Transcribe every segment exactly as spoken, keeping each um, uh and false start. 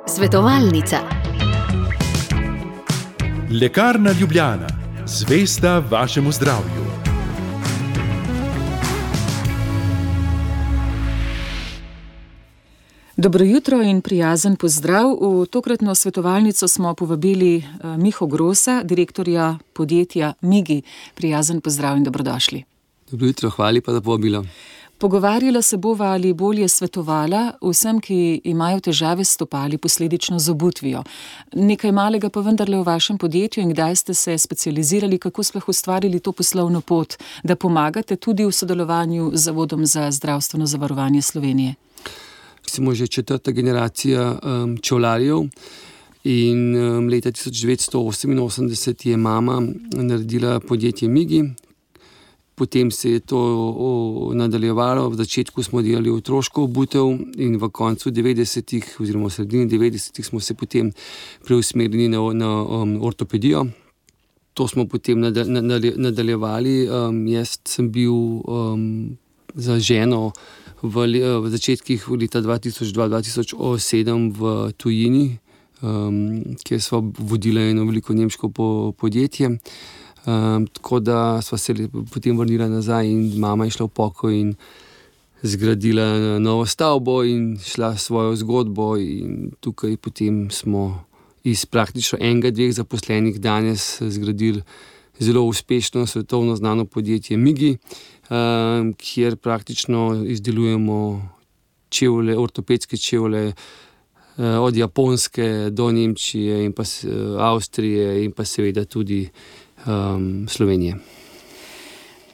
Svetovalnica. Lekarna Ljubljana, zvesta vašemu zdravju. Dobro jutro in prijazen pozdrav. V tokratno svetovalnico smo povabili Miho Grosa, direktorja podjetja Migi. Prijazen pozdrav in dobrodošli. Dobro jutro, hvala pa za povabilo. Pogovarjala se bova ali bolje svetovala vsem, ki imajo težave s stopali, posledično z obutvijo. Nekaj malega pa vendarle v vašem podjetju in kdaj ste se specializirali, kako sploh ustvarili to poslovno pot, da pomagate tudi v sodelovanju z Zavodom za zdravstveno zavarovanje Slovenije. Smo že četrta generacija um, čevljarjev in um, leta tisoč devetsto oseminosemdeset je mama naredila podjetje Migi. Potem se je to o, nadaljevalo. V začetku smo delali otroško obutev in v koncu devetdesetih oziroma v sredini devetdesetih smo se potem preusmerili na, na um, ortopedijo. To smo potem nadaljevali. Um, jaz sem bil um, za ženo v, v začetkih leta dva tisoč dva do dva tisoč sedem v tujini, um, kjer sva vodila eno veliko nemško po, podjetje. Um, tako da sva se potem vrnila nazaj in mama je šla v pokoj in zgradila novo stavbo in šla svojo zgodbo in tukaj potem smo iz praktično enega, dveh zaposlenih danes zgradili zelo uspešno svetovno znano podjetje Migi, um, kjer praktično izdelujemo čevlje, ortopedske čevlje uh, od Japonske do Nemčije in pa uh, Avstrije in pa seveda tudi Um, Slovenije.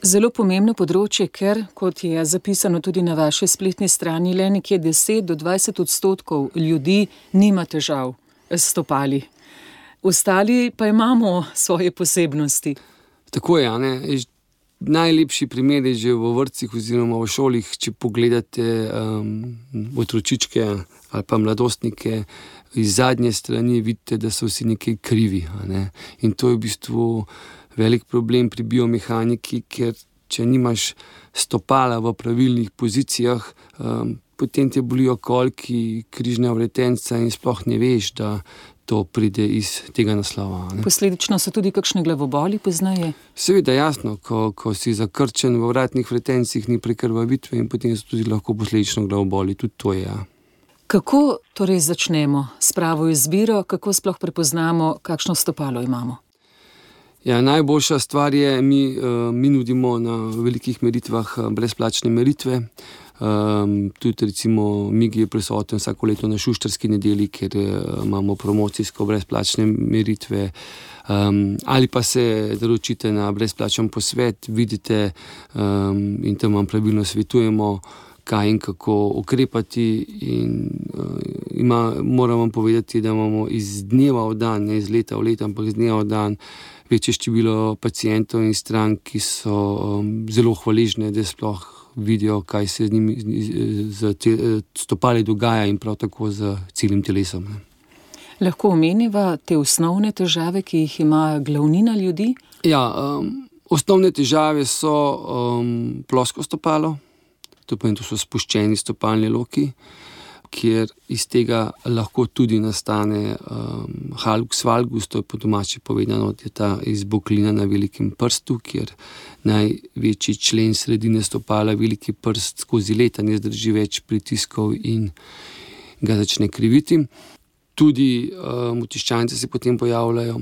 Zelo pomembno področje, ker, kot je zapisano tudi na vaši spletni strani, le nekje deset do dvajset odstotkov ljudi nima težav s stopali. Ostali pa imamo svoje posebnosti. Tako je, ne? Najlepši primer je že v vrtcih oziroma v šolih, če pogledate um, otročičke ali pa mladostnike, iz zadnje strani vidite, da so vsi nekaj krivi. Ne? In to je v bistvu velik problem pri biomehaniki, ker če nimaš stopala v pravilnih pozicijah, um, potem te bolijo kolki, križna vretenca in sploh ne veš, da to pride iz tega naslova. Ne? Posledično so tudi kakšne glavoboli poznaje? Seveda, jasno, ko, ko si zakrčen v vratnih vretencih, ni prekrvavitve in potem so tudi lahko posledično glavoboli. Tudi to je, ja. Kako torej začnemo s pravo izbiro, kako sploh prepoznamo, kakšno stopalo imamo? Ja, najboljša stvar je, mi, mi nudimo na velikih meritvah brezplačne meritve. Um, tudi recimo Migi je prisoten vsako leto na Šuštarski nedelji, ker imamo promocijsko brezplačne meritve. Um, ali pa se naročite na brezplačen posvet, vidite um, in tam vam pravilno svetujemo, kaj in kako ukrepati in uh, ima, moram vam povedati, da imamo iz dneva v dan, ne iz leta v leto, ampak iz dneva v dan večje število pacientov in strank, ki so um, zelo hvaležne, da sploh vidijo, kaj se z njimi z, z stopali dogaja in prav tako z celim telesom. Ne. Lahko omeniva te osnovne težave, ki jih ima glavnina ljudi? Ja, um, osnovne težave so um, plosko stopalo. To pomeni, to so spuščeni stopalni loki, kjer iz tega lahko tudi nastane um, hallux valgus, to je po domače povedano, je ta izboklina na velikem prstu, kjer največji člen sredine stopala, veliki prst, skozi leta ne zdrži več pritiskov in ga začne kriviti. Tudi um, otiščance se potem pojavljajo.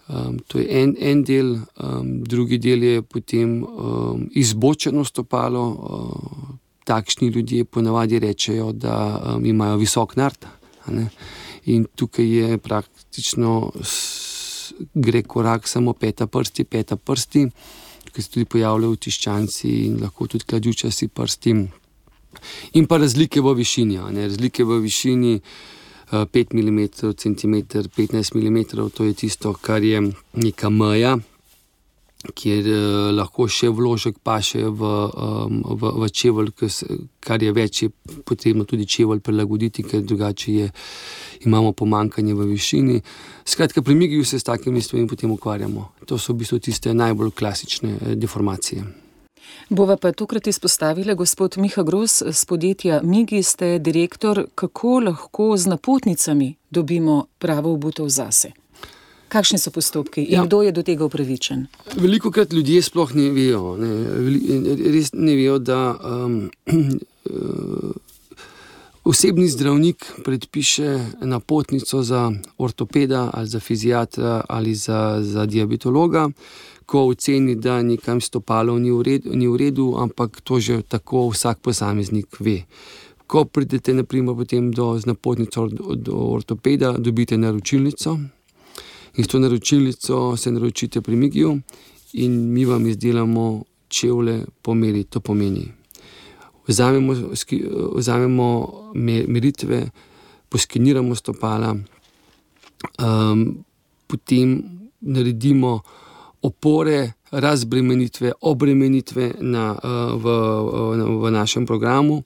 Um, to je en, en del, um, drugi del je potem um, izbočeno stopalo. Um, Takšni ljudje ponavadi rečejo, da um, imajo visok nart. In tukaj je praktično s, gre korak samo peta prsti, peta prsti, tukaj se tudi pojavljajo tiščanci in lahko tudi kladjučasti prsti. In pa razlike v višini. Ne? Razlike v višini uh, pet milimetrov, centimeter, petnajst milimetrov, to je tisto, kar je neka meja, kjer eh, lahko še vložek paše v, um, v, v čevelj, kar je več, je potrebno tudi čevelj prilagoditi, ker drugače je, imamo pomanjkanje v višini. Skratka, pri Migiju se s takimi stvarmi potem ukvarjamo. To so v bistvu tiste najbolj klasične deformacije. Bova pa tokrat izpostavila gospod Miha Gros z podjetja Migi, ste direktor. Kako lahko z napotnicami dobimo pravo obutev zase? Kakšni so postopki in ja. Kdo je do tega upravičen? Veliko krat ljudje sploh ne vejo, ne, res ne vejo, da um, osebni zdravnik predpiše napotnico za ortopeda ali za fiziatra ali za, za diabetologa, ko oceni, da nekam stopalo ni v redu, ni v redu, ampak to že tako vsak posameznik ve. Ko pridete naprimer potem do, z napotnico do ortopeda, dobite naročilnico in s to naročilnico se naročite pri Migiju in mi vam izdelamo čevlje po meri. To pomeni, vzamemo, vzamemo meritve, poskeniramo stopala, um, potem naredimo opore, razbremenitve, obremenitve na, v, v, v našem programu.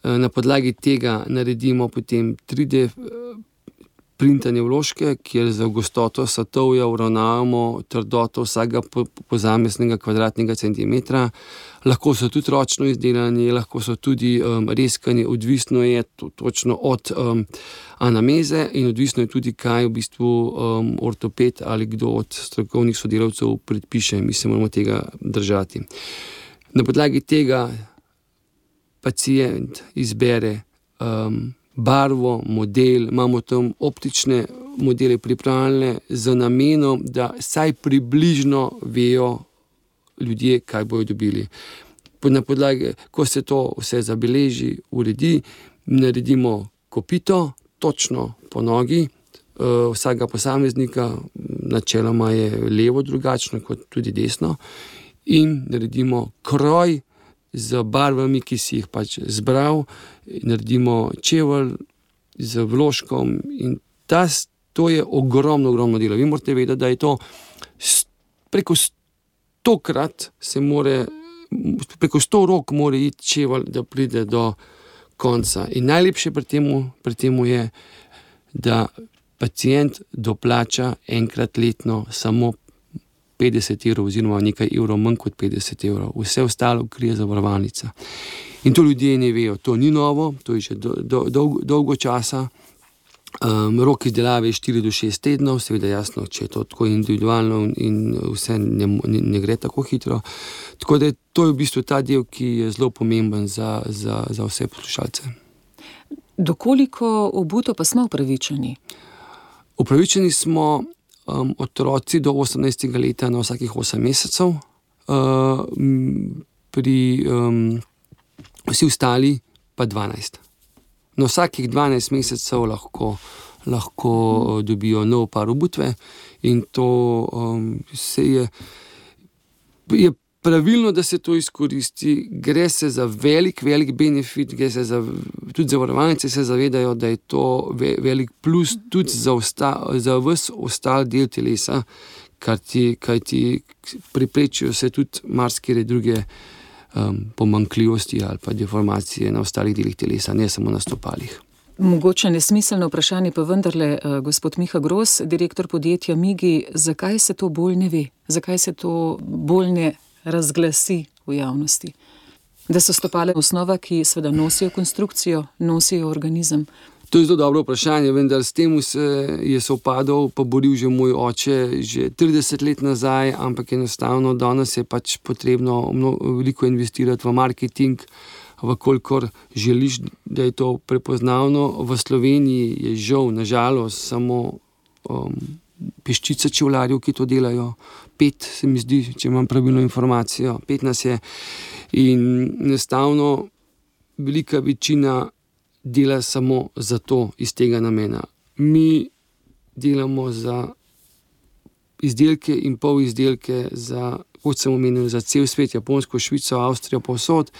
Na podlagi tega naredimo potem tri D printanje vložke, kjer za gostoto satovja uravnavamo trdoto vsega posameznega kvadratnega centimetra. Lahko so tudi ročno izdelani, lahko so tudi um, reskani, odvisno je to, točno od um, anameze in odvisno je tudi, kaj v bistvu um, ortoped ali kdo od strokovnih sodelavcev predpiše. Mi se moramo tega držati. Na podlagi tega pacient izbere um, barvo, model, imamo tam optične modele pripravljene z namenom, da saj približno vejo ljudje, kaj bojo dobili. Na podlagi, ko se to vse zabeleži, uredi, naredimo kopito, točno po nogi vsakega posameznika, načeloma je levo drugačno kot tudi desno, in naredimo kroj z barvami, ki si jih pač zbral, naredimo čevelj z vložkom in ta, to je ogromno, ogromno delo. Vi morate vedeti, da je to preko stokrat se more, preko sto rok mora iti čevelj, da pride do konca. In najlepše pri temu, pri temu je, da pacient doplača enkrat letno samo petdeset evrov oziroma nekaj evrov manj kot petdeset evrov. Vse ostalo krije zavarovalnica. In to ljudje ne vejo. To ni novo, to je že do, do, dolgo, dolgo časa. Um, rok izdelave je štiri do šest tednov, seveda jasno, če je to tako individualno in vse ne, ne, ne gre tako hitro. Tako da to je v bistvu ta del, ki je zelo pomemben za, za, za vse poslušalce. Dokoliko obuto pa smo upravičeni? Upravičeni smo Um, otroci do osemnajstega leta na vsakih osem mesecev, uh, pri um, vsi ostali pa dvanajst. Na vsakih dvanajst mesecev lahko, lahko uh, dobijo nov par obutve in to um, se je, je pravilno, da se to izkoristi. Gre se za velik, velik benefit, gre se za, tudi zavarovalnice se zavedajo, da je to ve, velik plus tudi za, osta, za ves ostal del telesa, kar ti, kaj ti preprečijo se tudi marsikere druge um, pomanjkljivosti ali pa deformacije na ostalih delih telesa, ne samo na stopalih. Mogoče nesmiselno vprašanje, pa vendarle, uh, gospod Miha Gros, direktor podjetja Migi, zakaj se to bolj ne ve? Zakaj se to bolj ne razglasi v javnosti? Da so stopale osnova, ki seveda nosijo konstrukcijo, nosijo organizem. To je zelo dobro vprašanje, vendar s tem se je sovpadal, pa boril že moj oče že trideset let nazaj, ampak enostavno danes je pač potrebno mnogo, veliko investirati v marketing, vkolikor želiš, da je to prepoznavno. V Sloveniji je žal, nažalost, samo um, peščica čevljarjev, ki to delajo. Pet, se mi zdi, če imam pravilno informacijo, pet nas je. In enostavno velika večina dela samo za to, iz tega namena. Mi delamo za izdelke in pol izdelke, za, kot sem omenil, za cel svet, Japonsko, Švico, Avstrijo, povsod.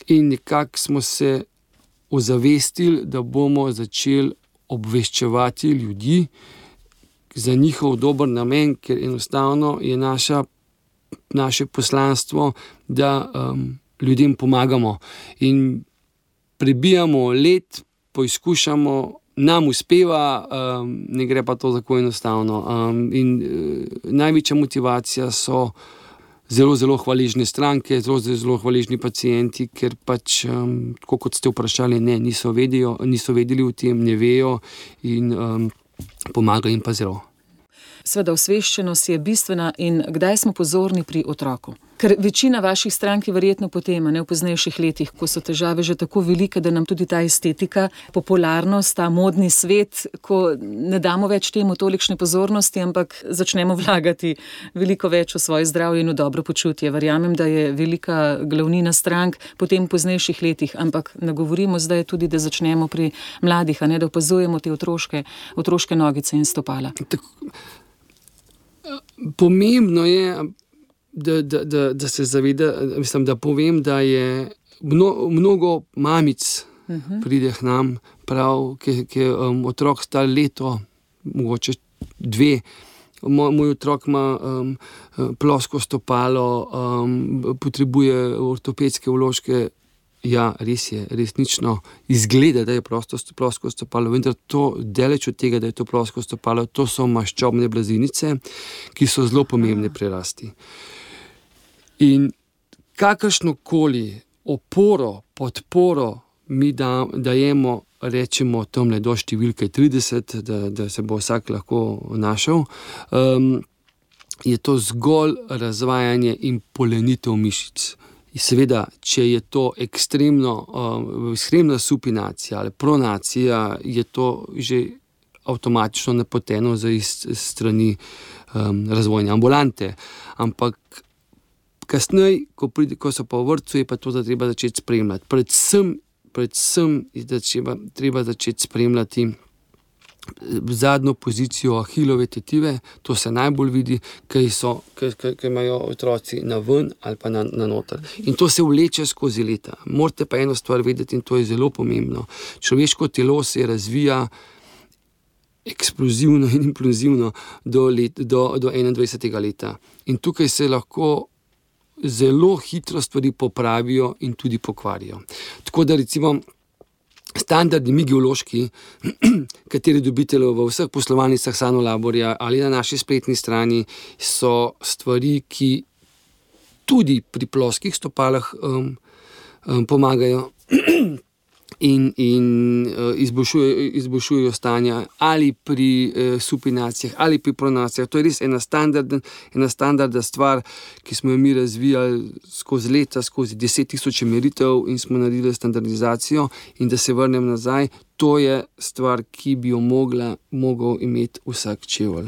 In nekako smo se ozavestili, da bomo začeli obveščevati ljudi za njihov dober namen, ker enostavno je naša, naše poslanstvo, da um, ljudem pomagamo in prebijamo let, poizkušamo, nam uspeva, um, ne gre pa to tako enostavno. Um, in uh, največja motivacija so zelo, zelo hvaležne stranke, zelo, zelo hvaležni pacienti, ker pač, um, kot ste vprašali, ne, niso, vedijo, niso vedeli o tem, ne vejo in um, pomaga jim pa zelo. Sveda osveščenost je bistvena in kdaj smo pozorni pri otroku? Ker večina vaših strank je verjetno potem, ne v poznejših letih, ko so težave že tako velike, da nam tudi ta estetika, popularnost, ta modni svet, ko ne damo več temu tolikšne pozornosti, ampak začnemo vlagati veliko več v svoje zdravje in v dobro počutje. Verjamem, da je velika glavnina strank potem v poznejših letih, ampak ne govorimo zdaj tudi, da začnemo pri mladih, a ne da opazujemo te otroške, otroške nogice in stopala. Tako, pomembno je, Da, da, da, da se zaveda, mislim, da povem, da je mno, mnogo mamic uh-huh. pride k nam, prav, ki je um, otrok star leto, mogoče dve. Moj, moj otrok ima um, plosko stopalo, um, potrebuje ortopedske vložke. Ja, res je, resnično izgleda, da je prosto, plosko stopalo, vendar to daleč od tega, da je to plosko stopalo, to so maščobne blazinice, ki so zelo pomembne pri rasti. In kakršnokoli oporo, podporo mi da, dajemo, rečemo tamle do številke trideset, da, da se bo vsak lahko našel, um, je to zgolj razvajanje in polenitev mišic. In seveda, če je to ekstremno, um, ekstremna supinacija ali pronacija, je to že avtomatično napoteno za iz strani um, razvojne ambulante. Ampak kasneje, ko, ko so pa v vrtcu, je pa to, da treba začeti spremljati. Predvsem, predvsem je, da treba, treba začeti spremljati zadnjo pozicijo ahilove tetive, to se najbolj vidi, kaj so, kaj, kaj, kaj imajo otroci na ven ali pa na, na noter. In to se vleče skozi leta. Morate pa eno stvar vedeti in to je zelo pomembno. Človeško telo se razvija eksplozivno in implozivno do, let, do, do enaindvajsetega leta. In tukaj se lahko zelo hitro stvari popravijo in tudi pokvarijo. Tako da recimo standardni migiološki, kateri dobite v vseh poslovalnicah Sanolaborja ali na naši spletni strani, so stvari, ki tudi pri ploskih stopalah um, um, pomagajo in, in uh, izboljšujejo, izboljšujejo stanja ali pri uh, supinacijah ali pri pronacijah. To je res ena standardna, ena standardna stvar, ki smo jo mi razvijali skozi leta, skozi deset tisoč meritev in smo naredili standardizacijo. In da se vrnem nazaj, to je stvar, ki bi jo mogla, mogel imeti vsak čevelj.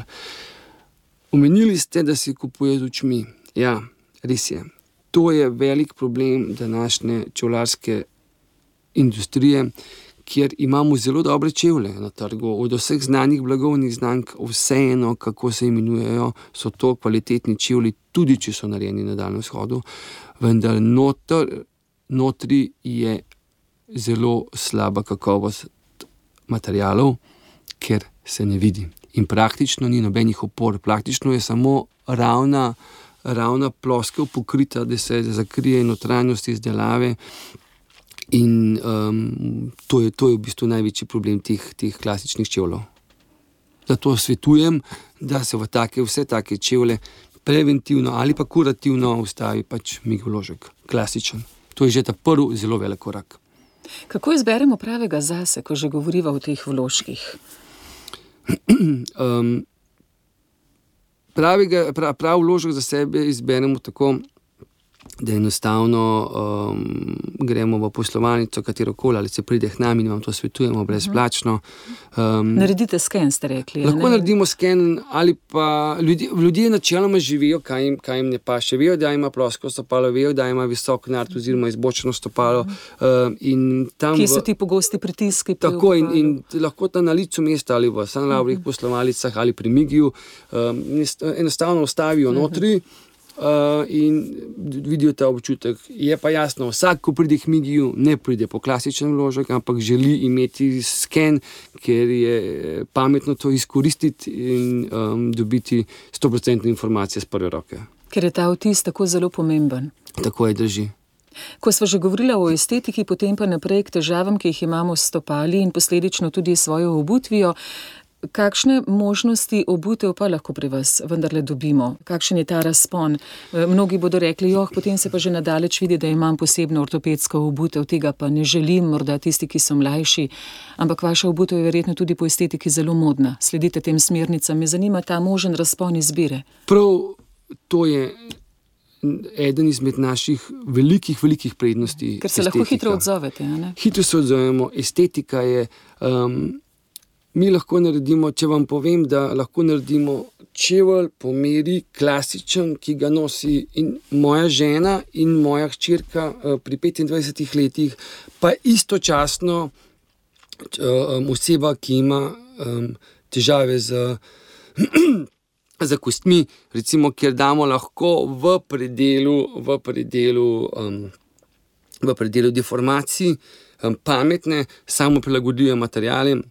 Omenili ste, da si kupuje z očmi. Ja, res je. To je velik problem današnje čevljarske industrije, kjer imamo zelo dobre čevlje na trgu. Od vseh znanih blagovnih znamk, vseeno, kako se imenujejo, so to kvalitetni čevlji, tudi če so narejeni na Daljnem vzhodu, vendar noter, notri je zelo slaba kakovost materialov, ker se ne vidi. In praktično ni nobenih opor, praktično je samo ravna, ravna ploskev pokrita, da se zakrije notranjost izdelave. In um, to, je, to je v bistvu največji problem teh, teh klasičnih čevljev. Zato svetujem, da se v take, vse take čevlje preventivno ali pa kurativno ustavi pač migoložek, klasičen. To je že ta prvi zelo velik korak. Kako izberemo pravega zase, ko že govoriva o teh vložkih? um, pravega, prav, prav vložek za sebe izberemo tako, da enostavno um, gremo v poslovalnico, katerokoli, ali se pride k nam in vam to svetujemo brezplačno. Um, Naredite sken, ste rekli. Lahko ne? naredimo sken, ali pa ljudje, ljudje načeloma živijo, kaj jim, kaj jim ne paše. Vejo, da ima plosko stopalo, vejo, da ima visok nart oziroma izbočeno stopalo. Um, in tam Kje so v, ti pogosti pritiski? Tako in, in lahko tam na licu mesta ali v Sanolaborjih uh-huh. poslovalnicah ali pri Migiju um, enostavno ostavijo uh-huh. notri. Uh, in vidijo ta občutek. Je pa jasno, vsak, ko pride k Migiju, ne pride po klasičen vložek, ampak želi imeti sken, ker je pametno to izkoristiti in um, dobiti sto procentne informacije z prve roke. Ker je ta vtis tako zelo pomemben. Tako je, drži. Ko sva že govorila o estetiki, potem pa naprej k težavam, ki jih imamo s stopali in posledično tudi svojo obutvijo, Kakšne možnosti obutev pa lahko pri vas vendarle dobimo? Kakšen je ta razpon? Mnogi bodo rekli, joh, potem se pa že nadaleč vidi, da imam posebno ortopedsko obutev, tega pa ne želim, morda tisti, ki so mlajši, ampak vaša obutev je verjetno tudi po estetiki zelo modna. Sledite tem smernicam, me zanima ta možen razpon izbire. Prav to je eden izmed naših velikih, velikih prednosti. Ker se estetika. Lahko hitro odzovete, a ne? Hitro se odzovemo, estetika je... Um, Mi lahko naredimo, če vam povem, da lahko naredimo čevelj po meri klasičen, ki ga nosi in moja žena in moja hčerka pri petindvajsetih letih, pa istočasno um, oseba, ki ima um, težave z, z kostmi, recimo, kjer damo lahko v predelu, v predelu, um, v predelu deformacij um, pametne, samo prilagodijo materiale,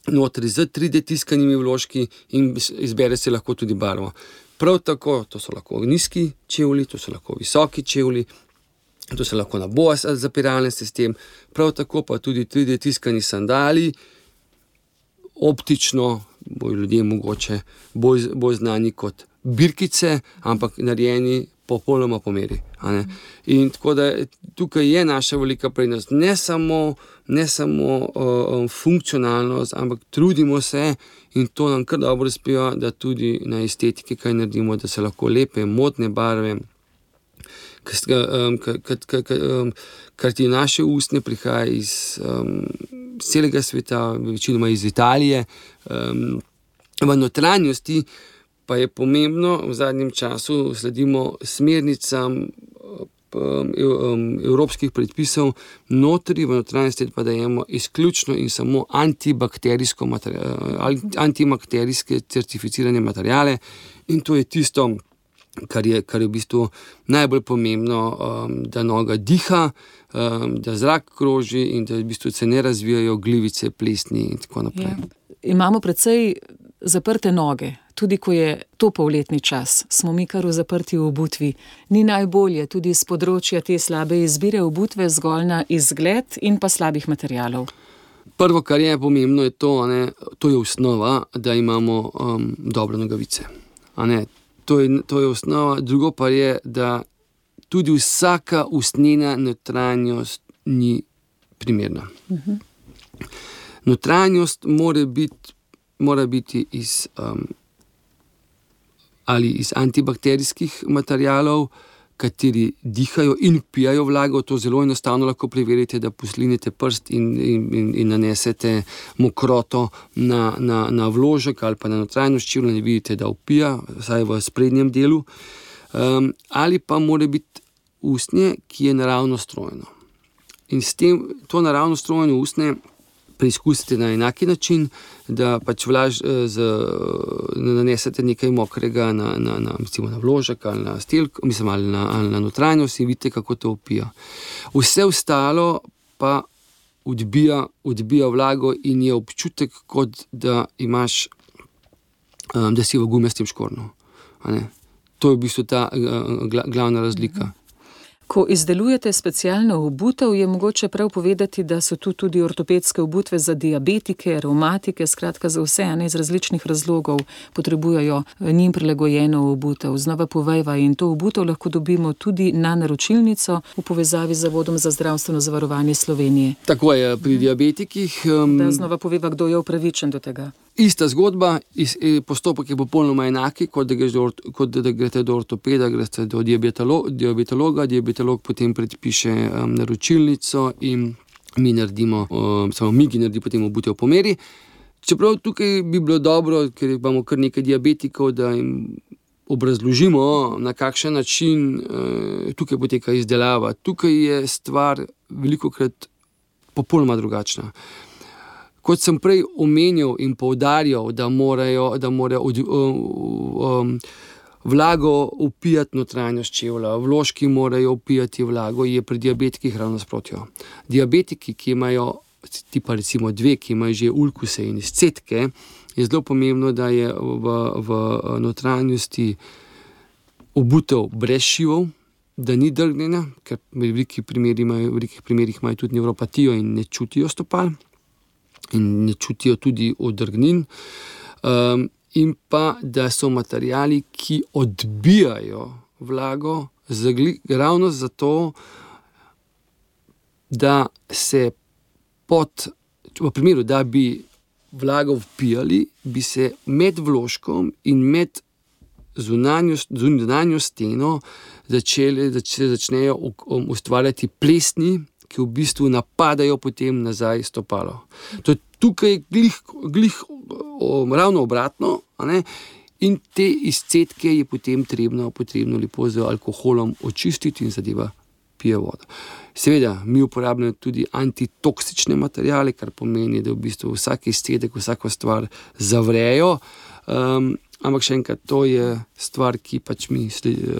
notri z tri D tiskanimi vložki in izbere se lahko tudi barvo. Prav tako, to so lahko nizki čevlji, to so lahko visoki čevlji, to so lahko naboja zapiralni sistem, prav tako pa tudi tri D tiskani sandali, optično, bojo ljudje mogoče bolj, bolj znani kot birkice, ampak narejeni popolnoma po meri. A ne? In tako da tukaj je naša velika prednost, ne samo, ne samo uh, funkcionalnost, ampak trudimo se in to nam kar dobro uspeva, da tudi na estetiki kaj naredimo, da se lahko lepe, modne barve, kar ti naše ustne prihaja iz um, celega sveta, večinoma iz Italije, um, v notranjosti pa je pomembno, v zadnjem času sledimo smernicam evropskih predpisov, notri v notranjosti pa dajemo izključno in samo antibakterijsko antibakterijske certificirane materijale in to je tisto, kar je, kar je v bistvu najbolj pomembno, da noga diha, da zrak kroži in da v bistvu se ne razvijajo glivice, plesni in tako naprej. Ja. Imamo precej zaprte noge. Tudi ko je to polletni čas, smo mi kar v zaprti obutvi. Ni najbolje tudi z področja te slabe izbire obutve zgolj na izgled in pa slabih materialov. Prvo, kar je pomembno, je to, ne, to je osnova, da imamo um, dobre nogavice. A ne, to je, to je osnova. Drugo pa je, da tudi vsaka ustnena notranjost ni primerna. Uh-huh. Notranjost mora biti, mora biti iz... Um, ali iz antibakterijskih materialov, kateri dihajo in vpijajo vlago. To zelo enostavno lahko preverite, da poslinete prst in, in, in nanesete mokroto na, na, na vložek ali pa na notranjost čevlja in vidite, da vpija, vsaj v sprednjem delu. Um, ali pa mora biti usnje, ki je naravno strojeno. In s tem, to naravno strojeno usnje preizkusite na enaki način, da pač vlaž, z, nanesete nekaj mokrega na, na, na, na vložek ali na stelk, mislim, ali na, ali na notranjost in vidite, kako to vpija. Vse ostalo pa odbija, odbija vlago in je občutek, kot da imaš, da si v gumijastem škornju. To je v bistvu ta glavna razlika. Ko izdelujete specialno obutev, je mogoče prav povedati, da so tu tudi ortopedske obutve za diabetike, revmatike, skratka za vse, ne, iz različnih razlogov potrebujejo njim prilagojeno obutev. Znova povejva, in to obutev lahko dobimo tudi na naročilnico v povezavi z Zavodom za zdravstveno zavarovanje Slovenije. Tako je pri diabetikih. Um... Da znova poveva, kdo je upravičen do tega. Ista zgodba, postopek je popolnoma enaki, kot da, do, kot da greste do ortopeda, greste do diabetolo, diabetologa, diabetolog potem predpiše um, naročilnico in mi naredimo, um, samo mi gi naredi potem obutev po meri. Čeprav tukaj bi bilo dobro, ker imamo kar nekaj diabetikov, da jim obrazložimo, na kakšen način uh, tukaj poteka izdelava. Tukaj je stvar velikokrat popolnoma drugačna. Kot sem prej omenil in poudarjal, da morajo, da morajo od, um, um, vlago vpijati notranjost čevlja, vložki morajo vpijati vlago, je pri diabetikih ravno nasprotno. Diabetiki, ki imajo, tipa recimo dve, ki imajo že ulkuse in izcedke, je zelo pomembno, da je v, v notranjosti obutev brez šivov, da ni drgnjena, ker v velikih primerih imajo, v velikih primerih imajo tudi nevropatijo in ne čutijo stopal. in ne čutijo tudi odrgnin. Um, in pa, da so materiali, ki odbijajo vlago, zagli, ravno zato, da se pod, v primeru, da bi vlago vpijali, bi se med vložkom in med zunanjo, zunanjo steno začeli, zač, začnejo ustvarjati plesni, ki v bistvu napadajo potem nazaj stopalo. To je tukaj glih, glih o, ravno obratno, a ne? In te izcedke je potem trebno, potrebno lepo z alkoholom očistiti in zadeva pije vodo. Seveda, mi uporabljamo tudi antitoksične materijale, kar pomeni, da v bistvu vsak izcedek, vsako stvar zavrejo, um, ampak še enkrat, to je stvar, ki pač mi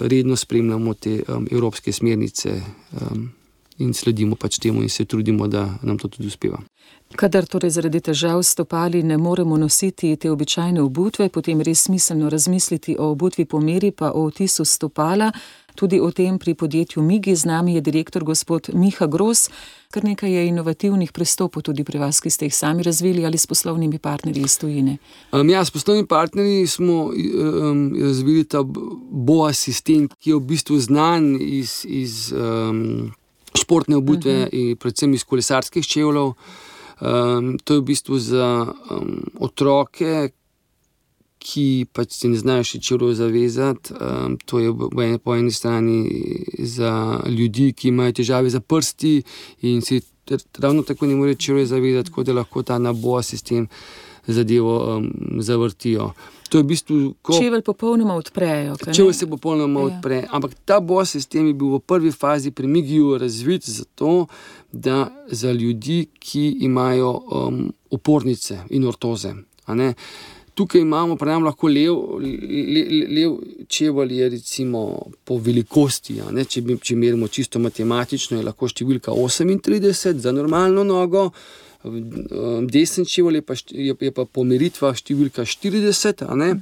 redno spremljamo te um, evropske smernice um, in sledimo pač temu in se trudimo, da nam to tudi uspeva. Kadar torej zaradi težav s stopali ne moremo nositi te običajne obutve, potem res smiselno razmisliti o obutvi po meri, pa o otisu stopala. Tudi o tem pri podjetju Migi. Z nami je direktor gospod Miha Gros. Kar nekaj je inovativnih pristopov tudi pri vas, ki ste jih sami razvili ali s poslovnimi partnerji iz tujine. Um, ja, s poslovnimi partnerji smo um, razvili ta B O A sistem, ki je v bistvu znan iz, iz um, športne obutve uh-huh. in predvsem iz kolesarskih čevljev. Um, to je v bistvu za um, otroke, ki pač se ne znajo še čevljev zavezati. Um, to je po eni strani za ljudi, ki imajo težave za prsti in si ravno tako ne morejo čevljev zavezati, tako da lahko ta na B O A sistem zadevo um, zavrtijo. To je v bistvu, ko čevelj popolnoma odprejo. Čevelj se popolnoma ja. odpre, ampak ta B O A sistem je bil v prvi fazi pri Migiju razvit zato, da za ljudi, ki imajo um, opornice in ortoze. A ne? Tukaj imamo, pravim, lahko lev, le, lev čevelj je recimo po velikosti, a ne? Če, če merimo čisto matematično, je lahko številka osemintrideset za normalno nogo, desen čevelj je pa, je, je pa po meritvah številka štirideset, a ne?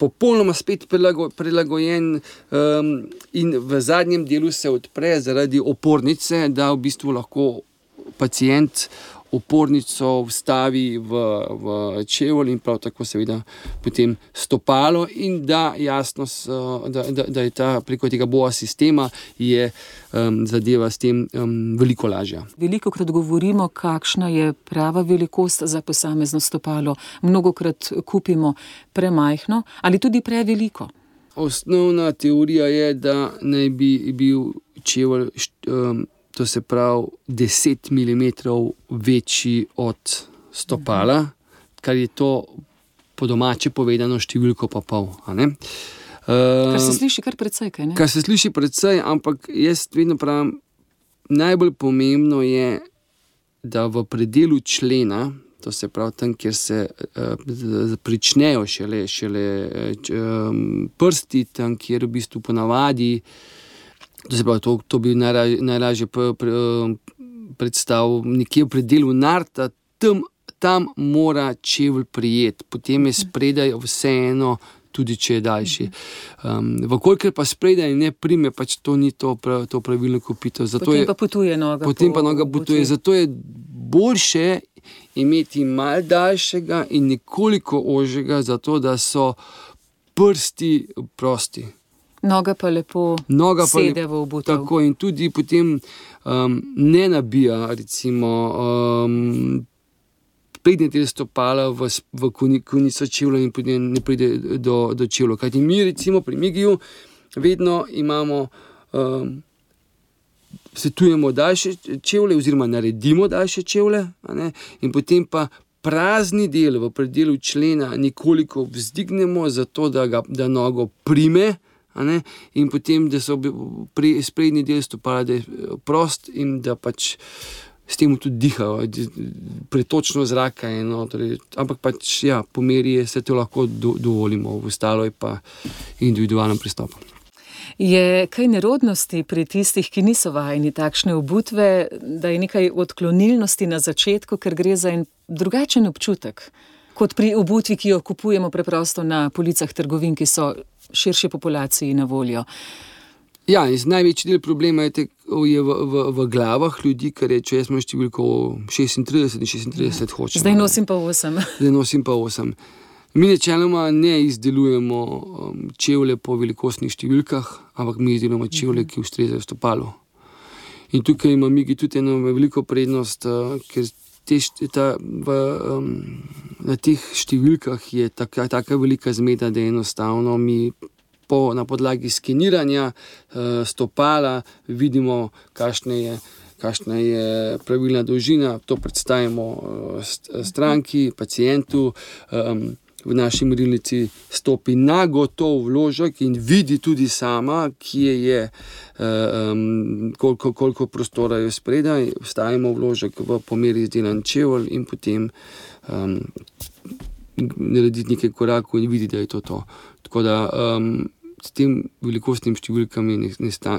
Popolnoma spet prilago, prilagojen um, in v zadnjem delu se odpre zaradi opornice, da v bistvu lahko pacient opornico vstavi v, v čevelj in prav tako seveda potem stopalo in da jasno, da, da, da je ta preko tega B O A sistema je um, zadeva s tem um, veliko lažja. Velikokrat govorimo, kakšna je prava velikost za posamezno stopalo. Mnogokrat kupimo premajhno ali tudi preveliko. Osnovna teorija je, da naj bi bil čevelj um, to se pravi deset milimetrov večji od stopala, kar je to po domače povedano številko pa pol. A ne? Kar se sliši kar precej, kaj ne? Kar se sliši precej, ampak jaz vedno pravim, najbolj pomembno je, da v predelu člena, to se pravi tam, kjer se uh, pričnejo šele, šele um, prsti, tam, kjer v bistvu ponavadi To se pravi, to, to bi najlažje, najlažje predstavil nekje v predelu narta, tam, tam mora čevelj prijeti, potem je spredaj vseeno, tudi če je daljši. Um, Vkolikor pa spredaj ne prime, pač to ni to, prav, to pravilno kupito. Zato potem je, pa potuje noga. Potem po, pa noga potuje, zato je boljše imeti malo daljšega in nekoliko ožjega, zato da so prsti prosti. Noga pa lepo Noga pa sede v obutev. Tako in tudi potem um, ne nabija recimo um, prednji del stopala v, v konico čevlja in potem ne pride do, do čevlja. Kajti mi recimo pri Migiju vedno imamo, um, svetujemo daljše čevlje oziroma naredimo daljše čevlje, a ne? In potem pa prazni del v predelu člena nekoliko vzdignemo, zato da, ga, da nogo prime, a ne? In potem, da so pre, sprednji del stopala, da je prost in da pač s tem tudi dihajo, pretočno zraka je, no, torej, ampak pač, ja, po meri se to lahko do, dovolimo, v ostalo je pa individualnem pristopu. Je kaj nerodnosti pri tistih, ki niso vajeni takšne obutve, da je nekaj odklonilnosti na začetku, ker gre za en drugačen občutek, kot pri obutvi, ki jo kupujemo preprosto na policah trgovin, ki so širši populaciji na voljo? Ja, največji del problema je, te, je v, v, v glavah ljudi, ki rečejo, jaz imam številko šestintrideset in šestintrideset hočem. Zdaj nosim pa osem. Zdaj nosim pa osem. Mi načeloma ne izdelujemo um, čevlje po velikostnih številkah, ampak mi izdelujemo čevlje, ki ustrezajo stopalu. In tukaj ima Migi tudi eno veliko prednost, uh, ker te, ta, v, um, na teh številkah je taka, taka velika zmeda, da enostavno mi Po, na podlagi skeniranja uh, stopala vidimo, kakšna je, kakšna je pravilna dolžina. To predstavimo uh, stranki, pacientu. Um, v naši merilnici stopi na gotov vložek in vidi tudi sama, kje je, um, koliko, koliko prostora je spredaj. Vstavimo vložek v pomeri izdelan čevelj in potem um, narediti nekaj korakov in vidi, da je to to. Tako da um, s tem velikostnim številkami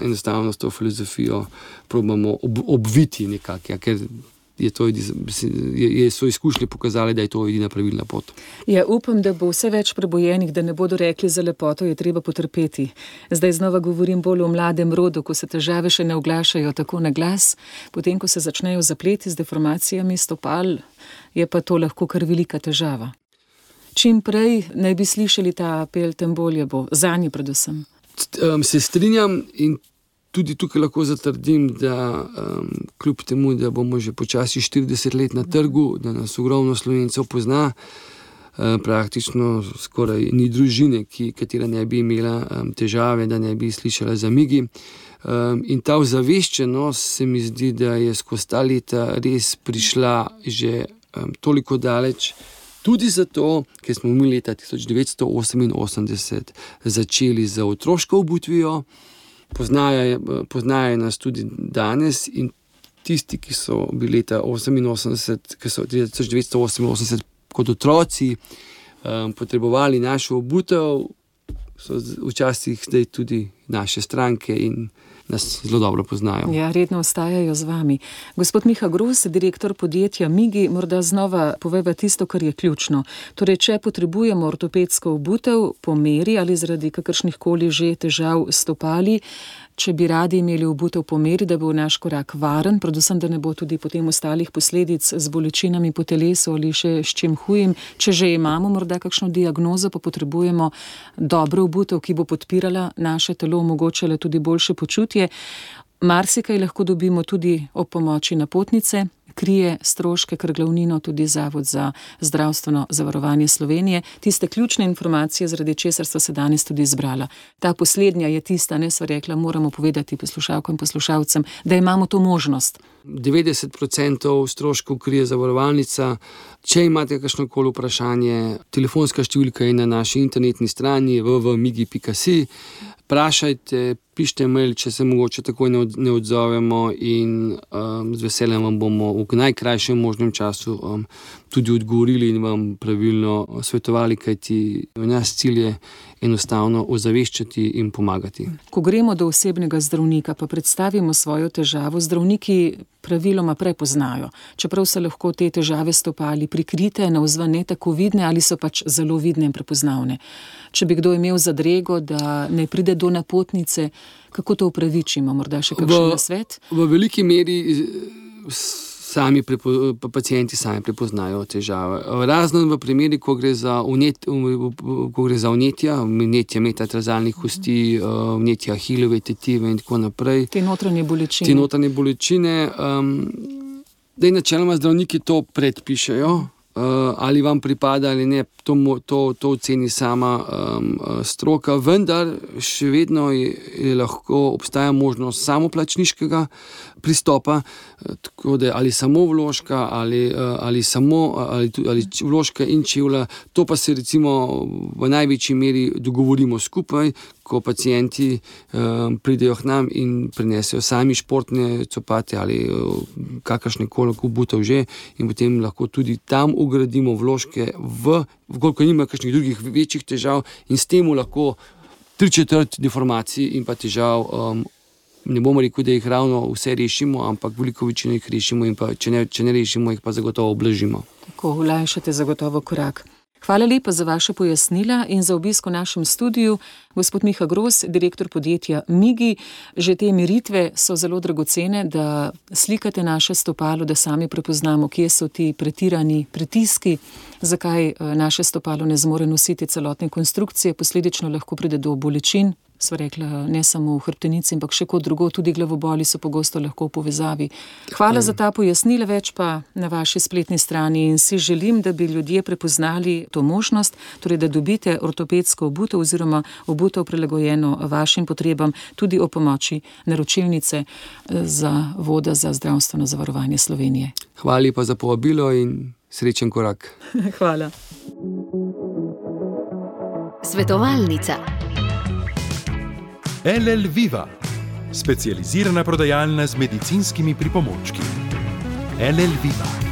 enostavno s to filozofijo probamo ob, obviti nekako, ja, ker je to, je, je so izkušnje pokazali, da je to edina pravilna pot. Ja, upam, da bo vse več prebojenih, da ne bodo rekli, za lepoto je treba potrpeti. Zdaj znova govorim bolj o mladem rodu, ko se težave še ne oglašajo tako na glas, potem, ko se začnejo zapleti z deformacijami stopal, je pa to lahko kar velika težava. Čim prej naj bi slišali ta apel, tem bolje bo, zanje predvsem. Um, se strinjam in tudi tukaj lahko zatrdim, da um, kljub temu, da bomo že počasi štirideset let na trgu, da nas ogromno Slovencev pozna, um, praktično skoraj ni družine, ki, katera ne bi imela um, težave, da ne bi slišala za Migi. Um, in ta ozaveščenost se mi zdi, da je skozi ta leta res prišla že um, toliko daleč, tudi zato, ker smo mi leta tisoč devetsto oseminosemdeset začeli z otroško obutvijo, poznajo, poznajo nas tudi danes in tisti, ki so bili leta oseminosemdeset, ki so tisoč devetsto oseminosemdeset kot otroci um, potrebovali našo obutev, so včasih zdaj tudi naše stranke in nas zelo dobro poznajo. Ja, redno ostajajo z vami. Gospod Miha Gros, direktor podjetja Migi, morda znova poveva tisto, kar je ključno. Torej, če potrebujemo ortopedsko obutev po meri ali zaradi kakršnihkoli že težav stopali, če bi radi imeli obutev po meri, da bo naš korak varen, predvsem, da ne bo tudi potem ostalih posledic z bolečinami po telesu ali še s čim hujim. Če že imamo morda kakšno diagnozo, pa potrebujemo dobro obutev, ki bo podpirala naše telo, omogočala tudi boljše počutje. Marsikaj lahko dobimo tudi ob pomoči napotnice, krije stroške, kar glavnino tudi Zavod za zdravstveno zavarovanje Slovenije. Tiste ključne informacije, zaradi česar sta se danes tudi izbrala. Ta poslednja je tista, ne sva rekla, moramo povedati poslušalkam in poslušalcem, da imamo to možnost. devetdeset procentov stroškov krije zavarovalnica. Če imate kakšnokoli vprašanje, telefonska številka je na naši internetni strani w w w pika migi pika si. Vprašajte, pišite mail, če se mogoče takoj ne odzovemo in um, z veseljem vam bomo v najkrajšem možnem času um, tudi odgovorili in vam pravilno svetovali, kajti naš cilj je enostavno ozaveščati in pomagati. Ko gremo do osebnega zdravnika, pa predstavimo svojo težavo, zdravniki praviloma prepoznajo, čeprav so lahko te težave stopali prikrite, navzven ne tako vidne ali so pač zelo vidne in prepoznavne. Če bi kdo imel zadrego, da ne pride do napotnice, kako to upravičimo? Morda še kakšen nasvet? V veliki meri sami prepo, pacienti sami prepoznajo težave. Razen v primeri, ko gre za, unet, ko gre za vnetja, vnetja metatarsalnih kosti, vnetja ahilove tetive in tako naprej. Te notranje bolečine. Te notranje bolečine. Um, da je načeloma zdravniki to predpišejo, uh, ali vam pripada ali ne, to, to, to oceni sama um, stroka, vendar še vedno je, je lahko obstaja možnost samoplačniškega pristopa, tako da ali samo vložka ali, ali samo ali, ali vložka in čevlja, to pa se recimo v največji meri dogovorimo skupaj, ko pacienti um, pridejo k nam in prinesejo sami športne copate ali kakršne koli obutev že in potem lahko tudi tam ugradimo vložke v, koliko nima kakšnih drugih večjih težav in s tem lahko tri četrt deformacij in pa težav um, ne bomo rekel, da jih ravno vse rešimo, ampak veliko večino jih rešimo in pa, če ne, če ne rešimo, jih pa zagotovo oblažimo. Tako olajšate zagotovo korak. Hvala lepa za vaše pojasnila in za obisk v našem studiu. Gospod Miha Gros, direktor podjetja Migi, že te meritve so zelo dragocene, da slikate naše stopalo, da sami prepoznamo, kje so ti pretirani pritiski, zakaj naše stopalo ne zmore nositi celotne konstrukcije, posledično lahko pride do bolečin. Sva rekla, ne samo v hrbtenici, ampak še kot drugo, tudi glavoboli so pogosto lahko v povezavi. Hvala za ta pojasnila, več pa na vaši spletni strani in si želim, da bi ljudje prepoznali to možnost, torej da dobite ortopedsko obutev oziroma obutev prilagojeno vašim potrebam, tudi o pomoči naročilnice Zavoda za zdravstveno zavarovanje Slovenije. Hvala lepa za povabilo in srečen korak. Hvala. Svetovalnica. L L Viva, specializirana prodajalna z medicinskimi pripomočki. L L Viva.